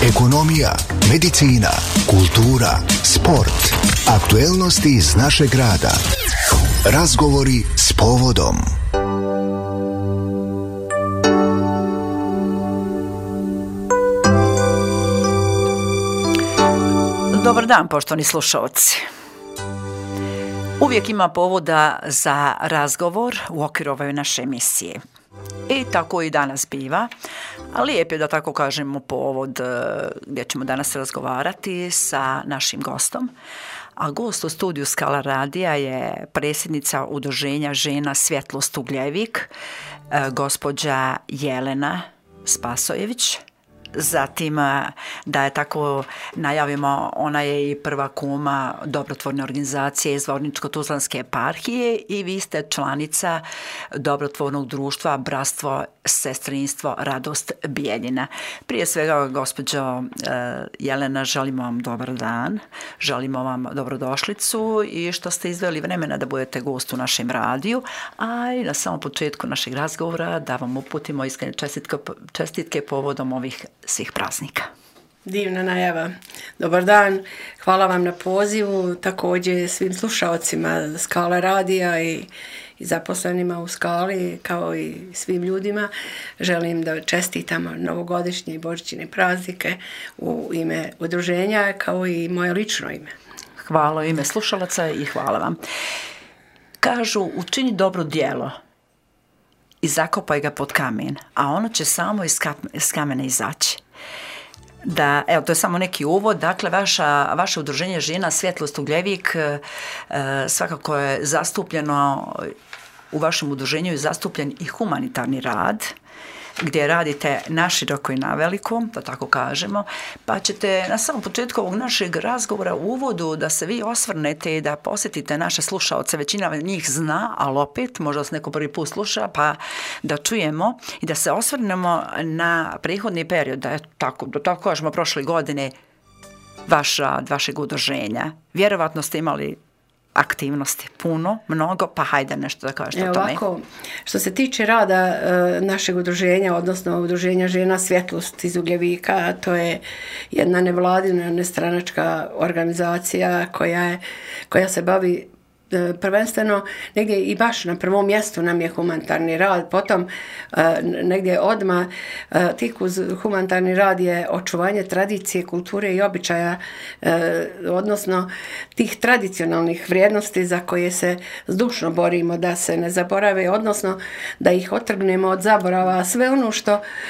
ekonomija, medicina, kultura, sport, aktuelnosti iz našeg grada. Razgovori s povodom. Dobar dan, poštovani slušalci. Uvijek ima povoda za razgovor u okviru ove naše emisije. I tako i danas biva, a lijep je da tako kažemo povod gdje ćemo danas razgovarati sa našim gostom. A gost u studiju Skala radija je predsjednica Udruženja žena Svjetlost Ugljevik, gospođa Jelena Spasojević. Zatim, da je tako najavimo, ona je i prva kuma dobrotvorne organizacije iz Zvorničko-tuzlanske eparhije i vi ste članica dobrotvornog društva Bratstvo, sestrinstvo, radost Bijeljina. Prije svega, gospođo Jelena, želimo vam dobar dan, želimo vam dobrodošlicu i što ste izdvojili vremena da budete gost u našem radiju, a i na samom početku našeg razgovora da vam uputimo iskrene čestitke povodom ovih svih praznika. Divna najava. Dobar dan, hvala vam na pozivu, također svim slušalcima Skala radija i zaposlenima u Skali, kao i svim ljudima. Želim da čestitamo novogodišnje i božićne praznike u ime udruženja, kao i moje lično ime. Hvala u ime slušalaca i hvala vam. Kažu, učini dobro djelo i zakopaj ga pod kamen, a ono će samo iz kamena izaći. Da, evo, to je samo neki uvod. Dakle, vaše udruženje žena Svjetlost Ugljevik svakako je zastupljeno, u vašem udruženju je zastupljen i humanitarni rad, gdje radite naširoko i naveliko, da tako kažemo, pa ćete na samom početku ovog našeg razgovora u uvodu da se vi osvrnete i da posjetite naše slušaoce, većina njih zna, ali opet, možda se neko prvi put sluša, pa da čujemo i da se osvrnemo na prethodni period, da tako kažemo prošle godine, vašeg udruženja. Vjerovatno ste imali aktivnosti puno, mnogo, pa hajde nešto da kažete o tome. Ovako, što se tiče rada našeg udruženja, odnosno udruženja žena Svjetlost iz Ugljevika, to je jedna nevladina, nestranačka organizacija koja se bavi prvenstveno negdje i baš na prvom mjestu nam je humanitarni rad, potom negdje odmah tik uz humanitarni rad je očuvanje tradicije, kulture i običaja, odnosno tih tradicionalnih vrijednosti za koje se zdušno borimo da se ne zaborave, odnosno da ih otrgnemo od zaborava, sve ono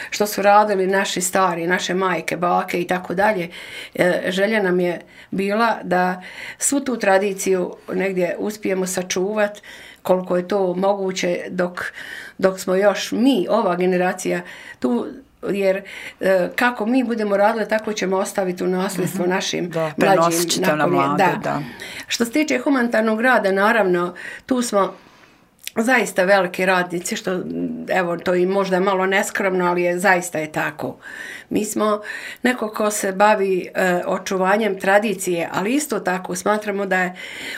što su radili naši stari, naše majke, bake i tako dalje. Želja nam je bila da svu tu tradiciju negdje uspijemo sačuvati koliko je to moguće dok smo još mi, ova generacija tu, jer kako mi budemo radili, tako ćemo ostaviti u nasljedstvo našim mlađim nakolje. Da. Što se tiče humanitarnog rada, naravno, tu smo zaista veliki radnici, što evo to i možda malo neskromno, ali zaista je tako. Mi smo neko ko se bavi očuvanjem tradicije, ali isto tako smatramo da je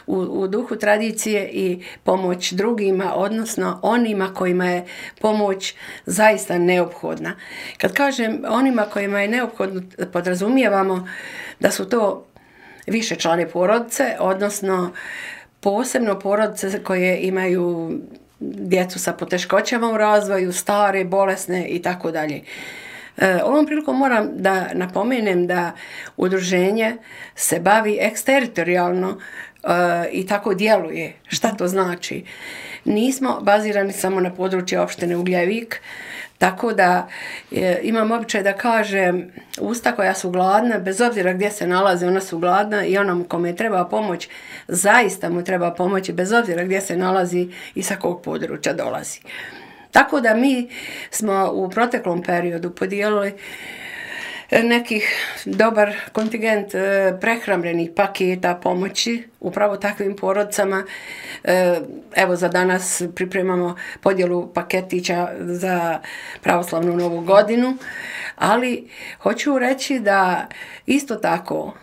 u duhu tradicije i pomoć drugima, odnosno onima kojima je pomoć zaista neophodna. Kad kažem onima kojima je neophodno, podrazumijevamo da su to višečlane porodice, odnosno posebno porodice koje imaju djecu sa poteškoćama u razvoju, stare, bolesne i tako dalje. Ovom prilikom moram da napomenem da udruženje se bavi eksteritorijalno i tako djeluje. Šta to znači? Nismo bazirani samo na području opštine Ugljevik, tako da imam običaj da kažem, usta koja su gladna, bez obzira gdje se nalaze, ona su gladna i onom kome treba pomoć, zaista mu treba pomoći, bez obzira gdje se nalazi i sa kog područja dolazi. Tako da mi smo u proteklom periodu podijelili nekih dobar kontingent prehrambenih paketa pomoći upravo takvim porodicama. Evo za danas pripremamo podjelu paketića za pravoslavnu novu godinu, ali hoću reći da isto tako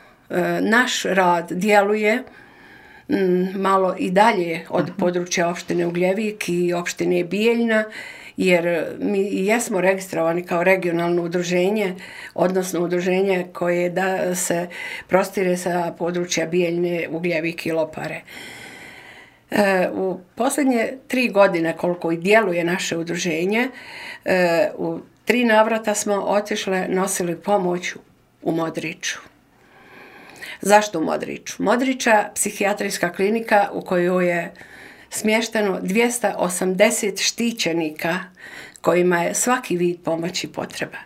naš rad djeluje malo i dalje od područja opštine Ugljevik i opštine Bijeljna, jer mi jesmo registrovani kao regionalno udruženje, odnosno udruženje koje da se prostire sa područja Bijeljne, Ugljevik i Lopare. U posljednje 3 godine koliko i djeluje naše udruženje, u 3 navrata smo otišle, nosili pomoć u Modriču. Zašto u Modriču? Modriča, psihijatrijska klinika u kojoj je smješteno 280 štićenika kojima je svaki vid pomoći potreban.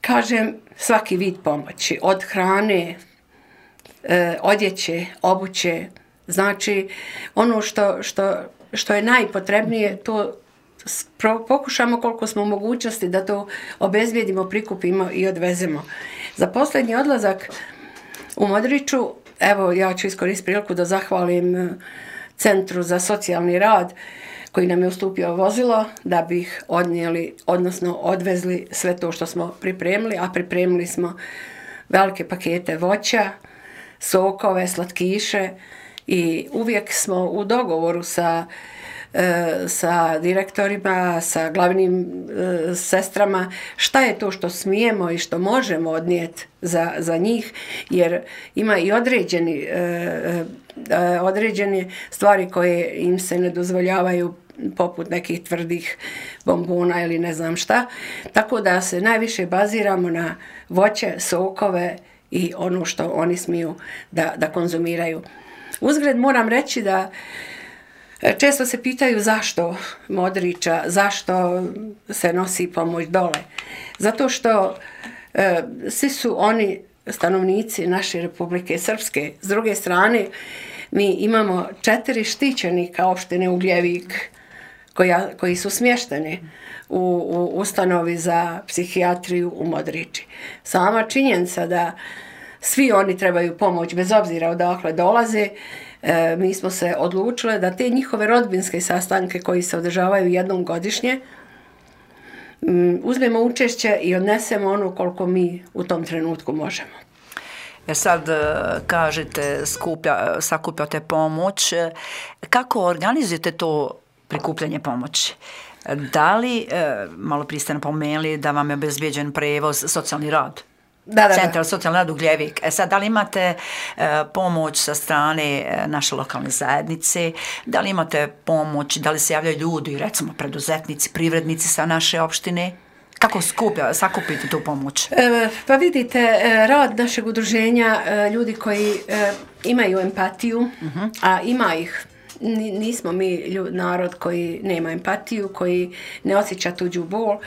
Kažem svaki vid pomoći, od hrane, odjeće, obuće, znači ono što je najpotrebnije, to pokušamo koliko smo u mogućnosti da to obezbijedimo, prikupimo i odvezemo. Za posljednji odlazak u Modriču, evo ja ću iskoristiti priliku da zahvalim Centru za socijalni rad koji nam je ustupio vozilo da bi ih odnijeli, odnosno odvezli sve to što smo pripremili, a pripremili smo velike pakete voća, sokove, slatkiše i uvijek smo u dogovoru sa direktorima, sa glavnim sestrama, šta je to što smijemo i što možemo odnijeti za njih, jer ima i određene stvari koje im se ne dozvoljavaju, poput nekih tvrdih bombona ili ne znam šta, tako da se najviše baziramo na voće, sokove i ono što oni smiju da konzumiraju. Uzgred moram reći da često se pitaju zašto Modriča, zašto se nosi pomoć dole. Zato što svi su oni stanovnici naše Republike Srpske. S druge strane, mi imamo 4 štićenika opštine Ugljevik koji su smješteni u ustanovi za psihijatriju u Modriči. Sama činjenica da svi oni trebaju pomoć bez obzira odakle dolaze, mi smo se odlučile da te njihove rodbinske sastanke koji se održavaju jednom godišnje uzmemo učešće i odnesemo ono koliko mi u tom trenutku možemo. Sad kažete sakupljate pomoć. Kako organizujete to prikupljanje pomoći? Da li, malo prije ste napomenuli da vam je obezbijeđen prevoz, socijalni rad? Centar socijalni rad Ugljevik. Sad, da li imate pomoć sa strane naše lokalne zajednice? Da li imate pomoć, da li se javljaju ljudi, recimo preduzetnici, privrednici sa naše opštine? Kako sakupiti tu pomoć? Pa vidite, rad našeg udruženja, ljudi koji imaju empatiju, a ima ih. Nismo mi narod koji nema empatiju, koji ne osjeća tuđu bol.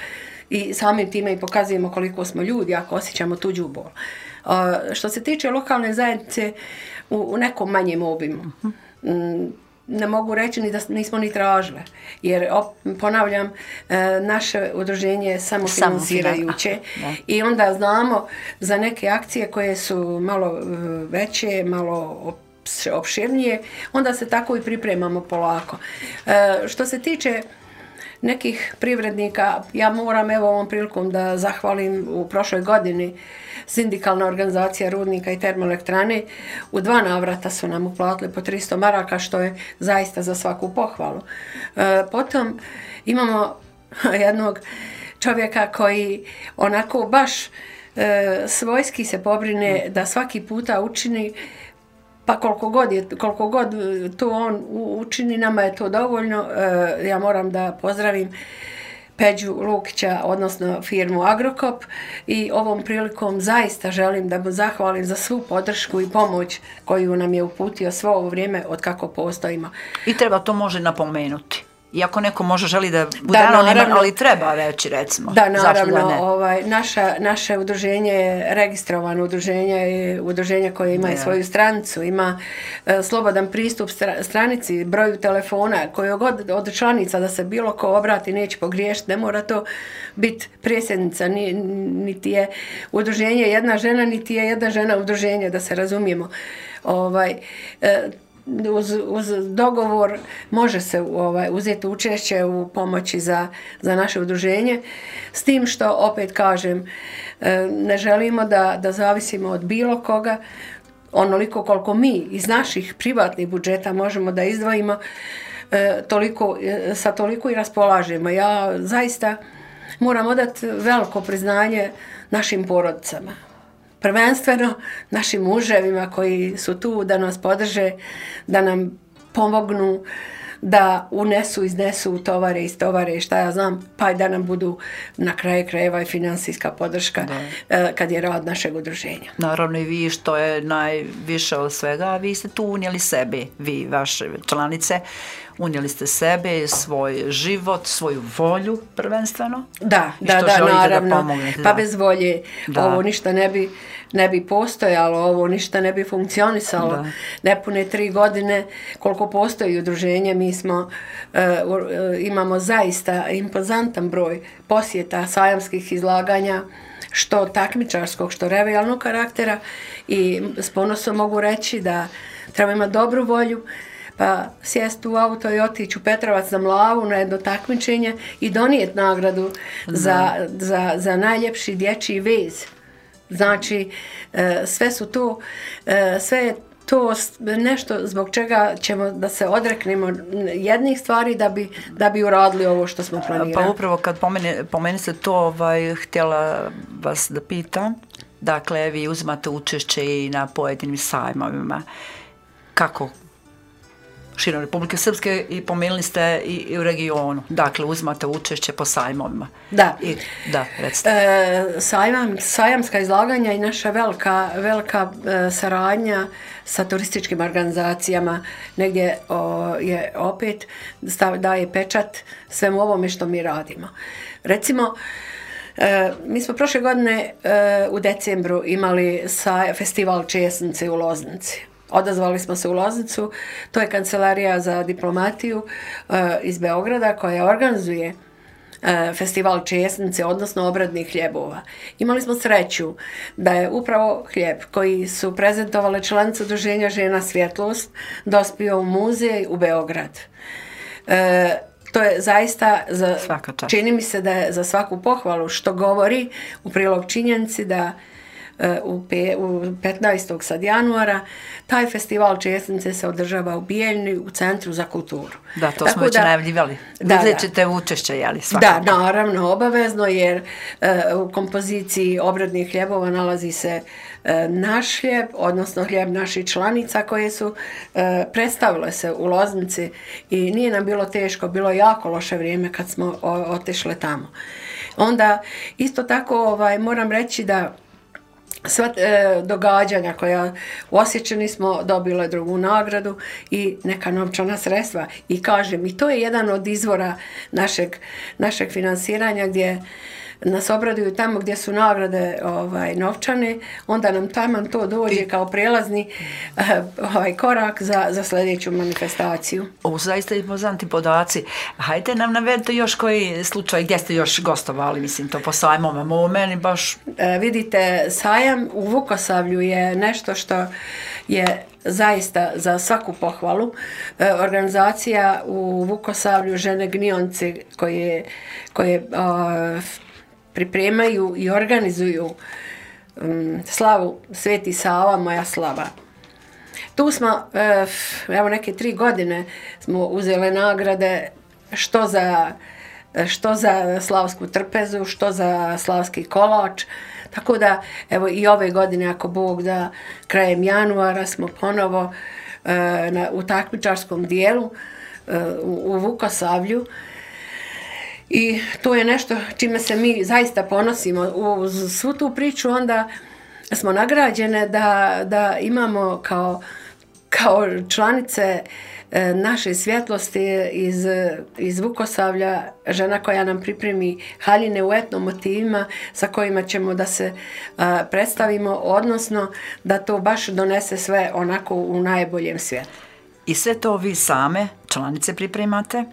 I samim time i pokazujemo koliko smo ljudi ako osjećamo tuđu bol. Što se tiče lokalne zajednice, u nekom manjem obimu. Ne mogu reći ni da nismo ni tražile. Jer, ponavljam, naše udruženje je samofinansirajuće i onda znamo za neke akcije koje su malo veće, malo opširnije, onda se tako i pripremamo polako. Što se tiče nekih privrednika, ja moram evo ovom prilikom da zahvalim u prošloj godini sindikalna organizacija rudnika i termoelektrane. U 2 navrata su nam uplatili po 300 maraka, što je zaista za svaku pohvalu. Potom imamo jednog čovjeka koji onako baš svojski se pobrine da svaki puta učini, pa koliko god to on učini, nama je to dovoljno. Ja moram da pozdravim Peđu Lukića, odnosno firmu Agrokop, i ovom prilikom zaista želim da mu zahvalim za svu podršku i pomoć koju nam je uputio svo ovo vrijeme od kako postojimo. I treba to može napomenuti. Iako neko može želi da bude anoniman, ali treba reći, recimo. Da, naravno, naše udruženje je registrovano udruženje koje ima i svoju stranicu, ima slobodan pristup stranici, broju telefona, koju god od članica da se bilo ko obrati neće pogriješiti, ne mora to biti predsjednica, niti je udruženje jedna žena, niti je jedna žena udruženje, da se razumijemo. Uz dogovor može se uzeti učešće u pomoći za naše udruženje, s tim što, opet kažem, ne želimo da zavisimo od bilo koga. onoliko koliko mi iz naših privatnih budžeta možemo da izdvojimo, sa toliko i raspolažemo. Ja zaista moram odati veliko priznanje našim porodicama. Prvenstveno našim muževima koji su tu da nas podrže, da nam pomognu, da unesu, iznesu, utovare, istovare, šta ja znam, pa i da nam budu na kraju krajeva i financijska podrška kad je rad našeg udruženja. Naravno i vi, što je najviše od svega, vi ste tu unijeli sebe, vi, vaše članice, unijeli ste sebe, svoj život, svoju volju prvenstveno. Da, naravno. Pa bez volje ovo ništa ne bi postojalo, ovo ništa ne bi funkcionisalo. Nepune 3 godine koliko postoji udruženje, mi imamo zaista impozantan broj posjeta, sajamskih izlaganja, što takmičarskog, što revijalnog karaktera, i s ponosom mogu reći da treba imati dobru volju, pa sjesti u auto i otići u Petrovac na Mlavu na jedno takmičenje i donijeti nagradu za najljepši dječji vez. Znači, sve je to nešto zbog čega ćemo da se odreknemo jednih stvari da bi uradili ovo što smo planirali. Pa upravo kad pomenite to, htjela vas da pitam, dakle, vi uzimate učešće i na pojedinim sajmovima. Kako? Širom Republike Srpske, i pomenuli ste i u regionu. Dakle, uzmate učešće po sajmovima. Da. Recite. Sajamska izlaganja i naša velika saradnja sa turističkim organizacijama negdje je opet daje pečat svemu ovome što mi radimo. Recimo, mi smo prošle godine u decembru imali festival Česnice u Loznici. Odazvali smo se u Loznicu, to je Kancelarija za diplomatiju iz Beograda koja organizuje festival Česnice, odnosno obradnih hljebova. Imali smo sreću da je upravo hljeb koji su prezentovale članice udruženja Žena Svjetlost dospio u muzej u Beograd. To je zaista, čini mi se da je za svaku pohvalu, što govori u prilog činjenici da u 15. sad januara taj festival Česnice se održava u Bijeljni u Centru za kulturu. Da, to smo već najavljivali. Vidjet ćete učešće, jeli, svakako? Da, naravno, obavezno, jer u kompoziciji obradnih hljebova nalazi se naš hljeb, odnosno hljeb naših članica koje su predstavile se u Loznici i nije nam bilo teško, bilo je jako loše vrijeme kad smo otišle tamo. Onda, isto tako, moram reći da sva događanja koja u Osječani smo dobile drugu nagradu i neka novčana sredstva. I kažem, i to je jedan od izvora našeg finansiranja, gdje nas obraduju tamo gdje su nagrade novčane, onda nam tamo to dođe kao prijelazni korak za sljedeću manifestaciju. Ovo su zaista impozantni podaci. Hajde nam navedite još koji slučaj gdje ste još gostovali, mislim, to po sajmovima. Ovo meni baš... Vidite, sajam u Vukosavlju je nešto što je zaista za svaku pohvalu. Organizacija u Vukosavlju Žene Gnionci koje pripremaju i organizuju slavu Sveti Sava, moja slava. Tu smo, evo neke 3 godine smo uzeli nagrade što za slavsku trpezu, što za slavski kolač. Tako da, evo i ove godine, ako Bog da, krajem januara smo ponovo u takmičarskom dijelu u Vukosavlju. I to je nešto čime se mi zaista ponosimo. Uz svu tu priču onda smo nagrađene da imamo kao članice naše svjetlosti iz Vukosavlja žena koja nam pripremi haljine u etno motivima sa kojima ćemo da se predstavimo, odnosno da to baš donese sve onako u najboljem svijetu. I sve to vi same, članice, pripremate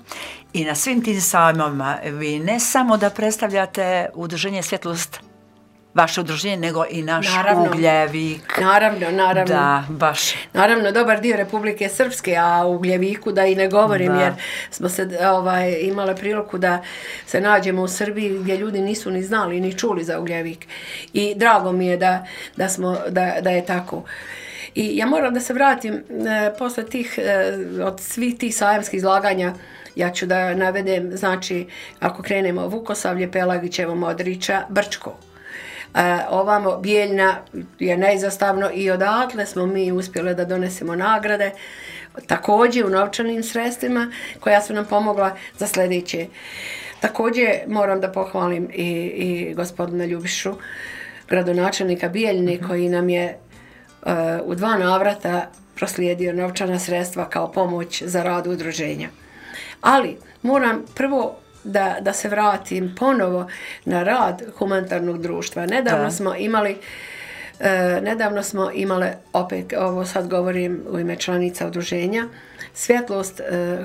i na svim tim sajmovima vi ne samo da predstavljate udruženje Svjetlost, vaše udruženje, nego i naš Ugljevik. Naravno. Da, baš. Naravno, dobar dio Republike Srpske, a u Ugljeviku da i ne govorim, jer smo se imali priliku da se nađemo u Srbiji gdje ljudi nisu ni znali, ni čuli za Ugljevik. I drago mi je da je tako. I ja moram da se vratim posle tih, od svih tih sajamskih izlaganja, ja ću da navedem, znači, ako krenemo Vukosavlje, Pelagićevo, Modrića, Brčko. Ovamo Bijeljna je neizostavno i odatle smo mi uspjeli da donesemo nagrade, također u novčanim sredstvima koja su nam pomogla za sljedeće. Također moram da pohvalim i gospodina Ljubišu, gradonačelnika Bijeljne, koji nam je u 2 navrata proslijedio novčana sredstva kao pomoć za rad udruženja. Ali moram prvo da se vratim ponovo na rad humanitarnog društva. Nedavno smo imali, opet ovo sad govorim u ime članica udruženja, Svjetlost,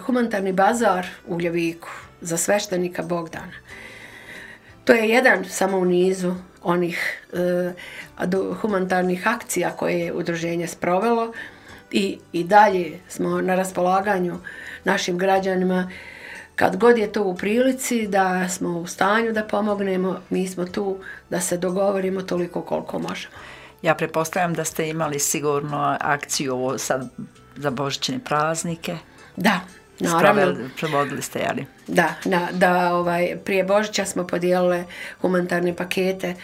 humanitarni bazar u Ljeviku za sveštenika Bogdana. To je jedan samo u nizu onih humanitarnih akcija koje je udruženje sprovelo i dalje smo na raspolaganju našim građanima. Kad god je to u prilici da smo u stanju da pomognemo, mi smo tu da se dogovorimo toliko koliko možemo. Ja pretpostavljam da ste imali sigurno akciju ovo sad za božićne praznike. Da, naravno. Prevodili ste, jeli? Da, prije Božića smo podijelili humanitarne pakete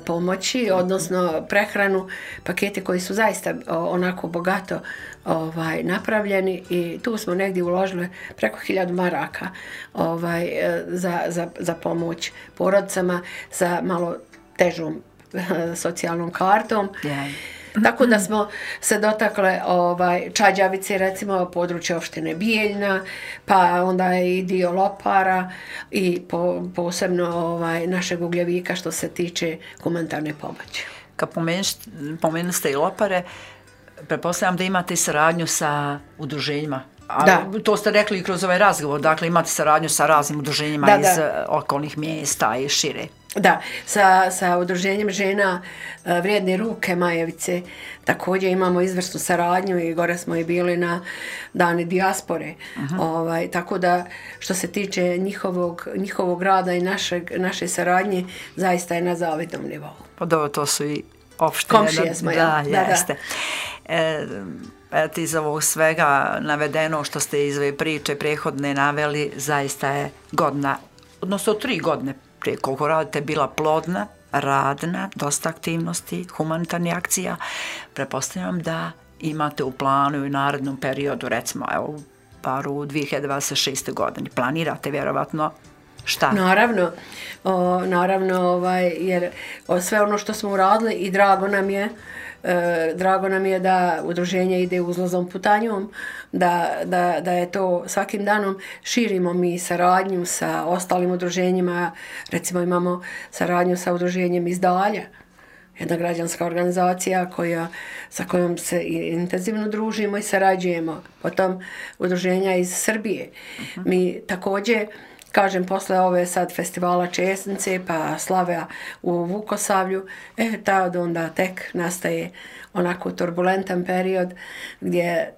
pomoći, odnosno prehranu, pakete koji su zaista onako bogato napravljeni i tu smo negdje uložili preko 1000 maraka za pomoć porodicama sa malo težom socijalnom kartom. Yeah. Tako da smo se dotakle Čađavice, recimo područje opštine Bijeljna, pa onda i dio Lopara i posebno našeg Ugljevika što se tiče humanitarne pomoći. Kad pomenuli ste i Lopare, pretpostavljam da imate i saradnju sa udruženjima. Da. To ste rekli i kroz ovaj razgovor, dakle imate saradnju sa raznim udruženjima iz okolnih mjesta i šire. Da, sa udruženjem žena Vrijedne ruke Majevice također imamo izvrsnu saradnju i gore smo i bili na dani dijaspore. Tako da što se tiče njihovog rada i naše saradnje zaista je na zavidnom nivou. Pa dobro, to su i opštine. Komšije smo, jeste. Iz ovog svega navedeno što ste iz ove priče prethodne naveli, zaista je godina, odnosno 3 godine prije koliko radite, bila plodna, radna, dosta aktivnosti, humanitarnih akcija. Pretpostavljam da imate u planu i u narednom periodu, recimo, evo, bar u 2026. godini. Planirate vjerovatno šta? Naravno, jer sve ono što smo uradili i drago nam je da udruženje ide uzlazom putanjom, da je to svakim danom širimo mi saradnju sa ostalim udruženjima. Recimo imamo saradnju sa udruženjem iz Dalja, jedna građanska organizacija sa kojom se intenzivno družimo i sarađujemo. Potom udruženja iz Srbije. Mi također, kažem, posle ove sad festivala Česnice pa slave u Vukosavlju, tad onda tek nastaje onako turbulentan period gdje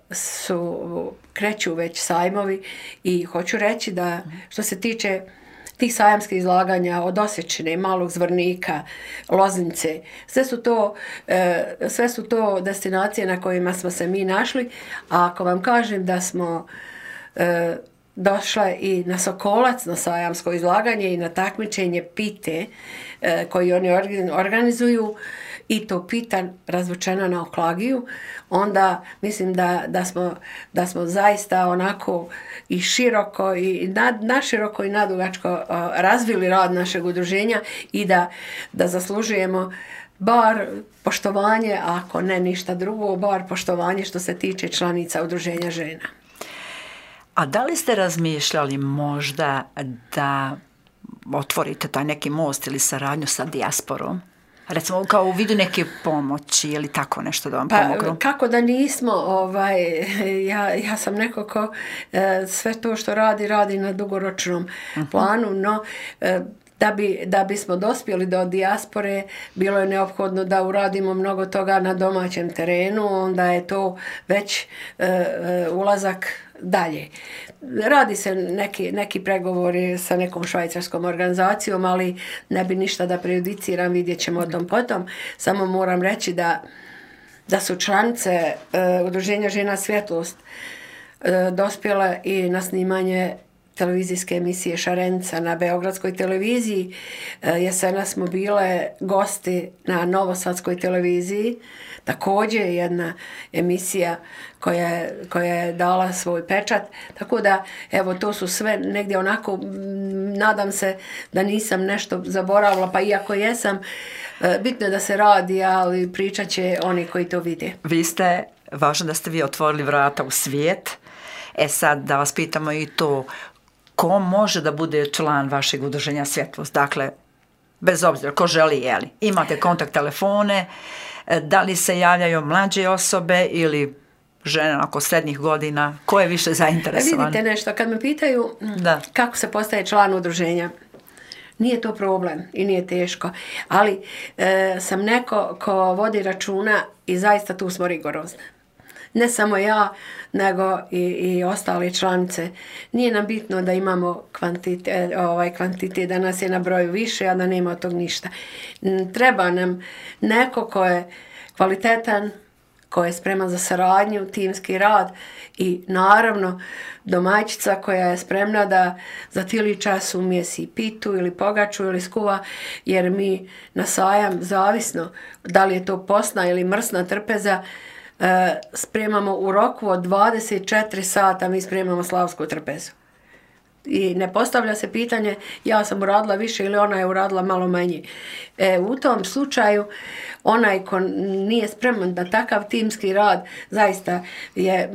kreću već sajmovi i hoću reći da što se tiče tih sajamskih izlaganja od Osječine, Malog Zvornika, Loznice, sve su to destinacije na kojima smo se mi našli, a ako vam kažem da smo došla i na Sokolac, na sajamsko izlaganje i na takmičenje pite koji oni organizuju, i to pita razvučena na Oklagiju, onda mislim da smo zaista onako i široko i naširoko i nadugačko razvili rad našeg udruženja i da zaslužujemo bar poštovanje, ako ne ništa drugo, bar poštovanje što se tiče članica udruženja žena. A da li ste razmišljali možda da otvorite taj neki most ili saradnju sa dijasporom? Recimo kao u vidu neke pomoći ili tako nešto da vam pomognu? Kako da nismo, ja sam neko ko sve to što radi na dugoročnom planu, no da bismo dospjeli do dijaspore, bilo je neophodno da uradimo mnogo toga na domaćem terenu, onda je to već ulazak dalje. Radi se neki pregovori sa nekom švajcarskom organizacijom, ali ne bi ništa da prejudiciram, vidjet ćemo o tom potom. Samo moram reći da su članice Udruženja žena Svjetlost dospjele i na snimanje televizijske emisije Šarenica na Beogradskoj televiziji. Jesenas smo bile gosti na Novosadskoj televiziji. Također je jedna emisija koja je dala svoj pečat. Tako da, evo, to su sve negdje onako, nadam se da nisam nešto zaboravila, pa iako jesam, bitno je da se radi, ali pričat će oni koji to vide. Važno da ste vi otvorili vrata u svijet. Sad da vas pitamo i to, ko može da bude član vašeg udruženja Svjetlost? Dakle, bez obzira, ko želi, jeli. Imate kontakt telefone, da li se javljaju mlađe osobe ili žene oko srednjih godina, ko je više zainteresovan? Vidite nešto, kad me pitaju kako se postaje član udruženja, nije to problem i nije teško, ali sam neko ko vodi računa i zaista tu smo rigorozni. Ne samo ja, nego i ostale članice. Nije nam bitno da imamo kvantitet, da nas je na broju više, a da nema od tog ništa. Treba nam neko ko je kvalitetan, ko je spreman za saradnju, timski rad i naravno domaćica koja je spremna da za tili čas umjesi pitu ili pogaču ili skuva, jer mi na sajam, zavisno da li je to posna ili mrsna trpeza, spremamo u roku od 24 sata, mi spremamo slavsku trpezu. I ne postavlja se pitanje ja sam uradila više ili ona je uradila malo manje. U tom slučaju onaj ko nije spreman na takav timski rad zaista je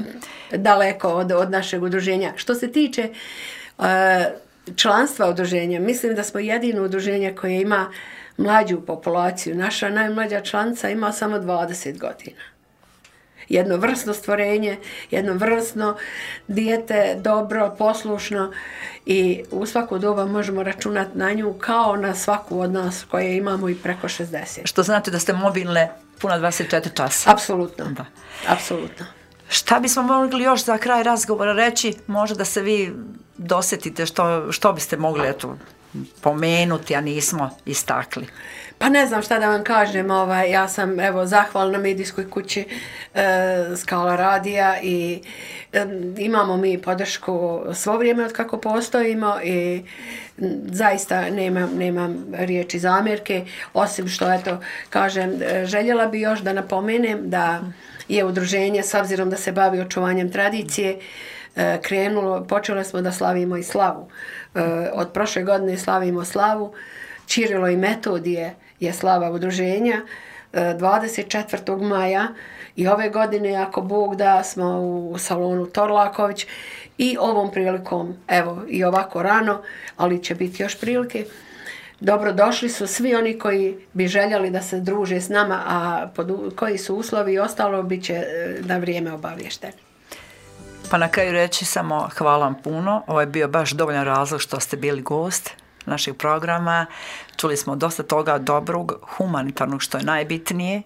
daleko od našeg udruženja. Što se tiče članstva udruženja, mislim da smo jedino udruženje koje ima mlađu populaciju. Naša najmlađa članica ima samo 20 godina. Jedno vrsno stvorenje, jedno vrsno dijete, dobro, poslušno i u svako doba možemo računati na nju kao na svaku od nas koje imamo i preko 60. Što znate da ste mobilne puna 24 časa. Apsolutno, da. Apsolutno. Šta bismo mogli još za kraj razgovora reći? Možda da se vi dosjetite što biste mogli pomenuti, a nismo istakli. Pa ne znam šta da vam kažem, ja sam zahvalna medijskoj kući Skala radija i imamo mi podršku svo vrijeme od kako postojimo i zaista nemam riječi zamjerke, osim što kažem, željela bi još da napomenem da je udruženje, s obzirom da se bavi očuvanjem tradicije, počeli smo da slavimo i slavu. Od prošle godine slavimo slavu, Čirilo i Metodije je slava udruženja 24. maja i ove godine, ako Bog da, smo u salonu Torlaković i ovom prilikom, i ovako rano, ali će biti još prilike. Dobrodošli su svi oni koji bi željeli da se druže s nama, a koji su uslovi i ostalo bit će na vrijeme obavješteni. Pa na kraju reći samo hvala vam puno. Ovo je bio baš dovoljan razlog što ste bili gost našeg programa. Čuli smo dosta toga dobrog, humanitarnog, što je najbitnije.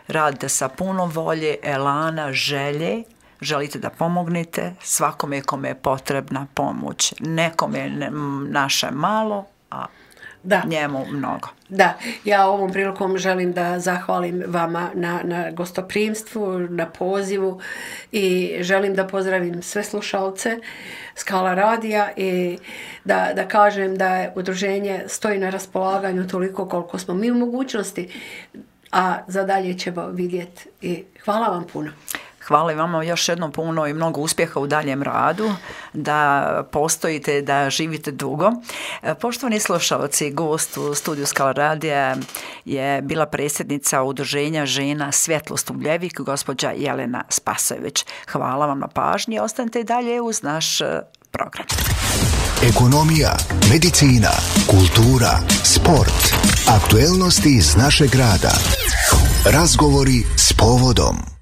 Radite sa puno volje, elana, želje. Želite da pomognete svakome kome je potrebna pomoć. Nekome je naše malo, a njemu mnogo. Da, ja ovom prilikom želim da zahvalim vama na gostoprimstvu, na pozivu i želim da pozdravim sve slušalce Skala radija i da kažem da udruženje stoji na raspolaganju toliko koliko smo mi u mogućnosti, a za dalje ćemo vidjeti i hvala vam puno. Hvala vama još jednom puno i mnogo uspjeha u daljem radu, da postojite, da živite dugo. Poštovani slušalci, gost u studiju Skala radija je bila predsjednica Udruženja žena Svjetlost Ugljevik, gospođa Jelena Spasojević. Hvala vam na pažnji, ostanite i dalje uz naš program. Ekonomija, medicina, kultura, sport, aktuelnosti iz našeg grada. Razgovori s povodom.